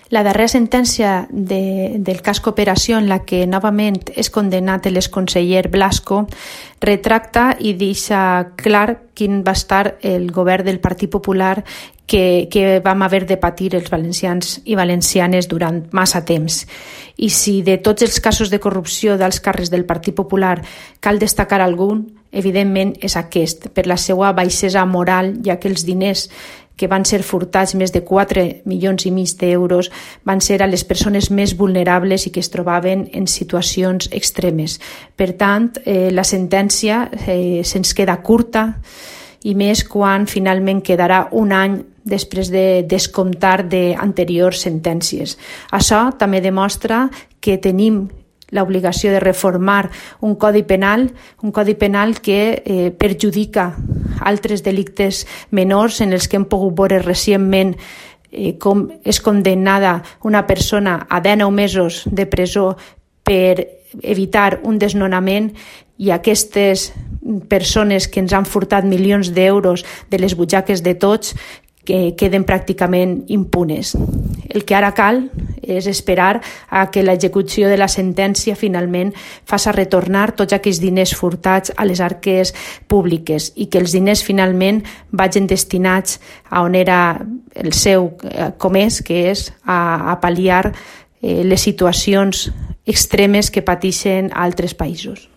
La darrera sentència del cas Cooperació, en la que novament és condemnat l'exconseller Blasco, retracta i deixa clar quin va estar el govern del Partit Popular que vam haver de patir els valencians i valencianes durant massa temps. I si de tots els casos de corrupció dels càrrecs del Partit Popular cal destacar algun, evidentment és aquest, per la seva baixesa moral, ja que els diners que van ser furtats, més de 4,5 milions d'euros, van ser a les persones més vulnerables i que es trobaven en situacions extremes. Per tant, la sentència se'ns queda curta, i més quan finalment quedarà un any després de descomptar d'anteriors sentències. Això també demostra que tenim l'obligació de reformar un codi penal que perjudica altres delictes menors en els que hem pogut veure recentment com és condemnada una persona a 19 mesos de presó per evitar un desnonament, i aquestes persones que ens han furtat milions d'euros de les butxaques de tots que queden pràcticament impunes. El que ara cal és esperar a que l'execució de la sentència finalment faci retornar tots aquells diners furtats a les arques públiques i que els diners finalment vagin destinats a on era el seu comès, que és a pal·liar les situacions extremes que pateixen a altres països.